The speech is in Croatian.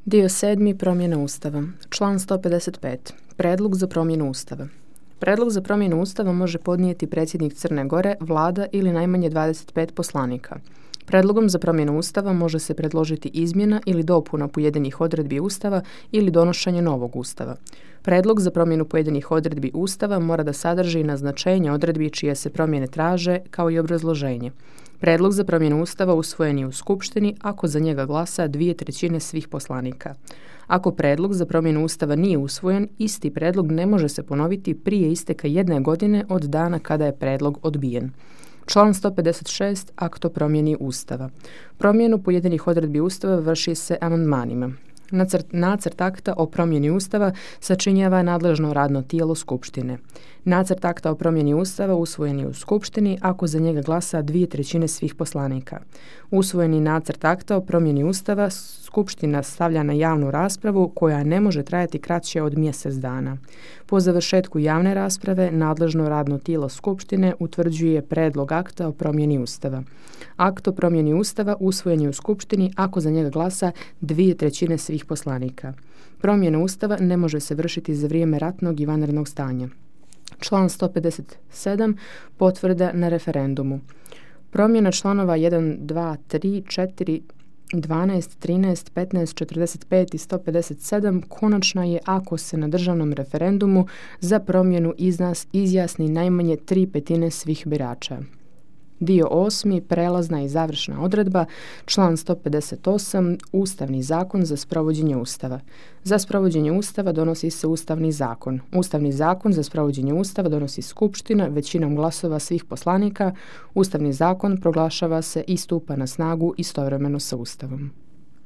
Dio 7. Promjena Ustava. Član 155. Predlog za promjenu Ustava. Predlog za promjenu Ustava može podnijeti predsjednik Crne Gore, vlada ili najmanje 25 poslanika. Predlogom za promjenu Ustava može se predložiti izmjena ili dopuna pojedinih odredbi Ustava ili donošenje novog Ustava. Predlog za promjenu pojedinih odredbi Ustava mora da sadrži naznačenje odredbi čije se promjene traže, kao i obrazloženje. Predlog za promjenu Ustava usvojen je u Skupštini ako za njega glasa 2/3 svih poslanika. Ako predlog za promjenu Ustava nije usvojen, isti predlog ne može se ponoviti prije isteka 1 godine od dana kada je predlog odbijen. Član 156. Akt o promjeni Ustava. Promjenu pojedinih odredbi Ustava vrši se amandmanima. Nacrt akta o promjeni Ustava sačinjava nadležno radno tijelo Skupštine. Nacrt akta o promjeni Ustava usvojen je u Skupštini ako za njega glasa 2/3 svih poslanika. Usvojeni nacrt akta o promjeni Ustava Skupština stavlja na javnu raspravu koja ne može trajati kraće od mjesec dana. Po završetku javne rasprave nadležno radno tijelo Skupštine utvrđuje predlog akta o promjeni Ustava. Akt o promjeni Ustava usvojen je u Skupštini ako za njega glasa 2/3 svih poslanika. Promjena Ustava ne može se vršiti za vrijeme ratnog i vanrednog stanja. Član 157. Potvrda na referendumu. Promjena članova 1, 2, 3, 4, 12, 13, 15, 45 i 157 konačna je ako se na državnom referendumu za promjenu izjasni najmanje 3/5 svih birača. Dio 8. Prelazna i završna odredba. Član 158. Ustavni zakon za sprovođenje Ustava. Za sprovođenje Ustava donosi se Ustavni zakon. Ustavni zakon za sprovođenje Ustava donosi Skupština većinom glasova svih poslanika. Ustavni zakon proglašava se i stupa na snagu istovremeno sa Ustavom.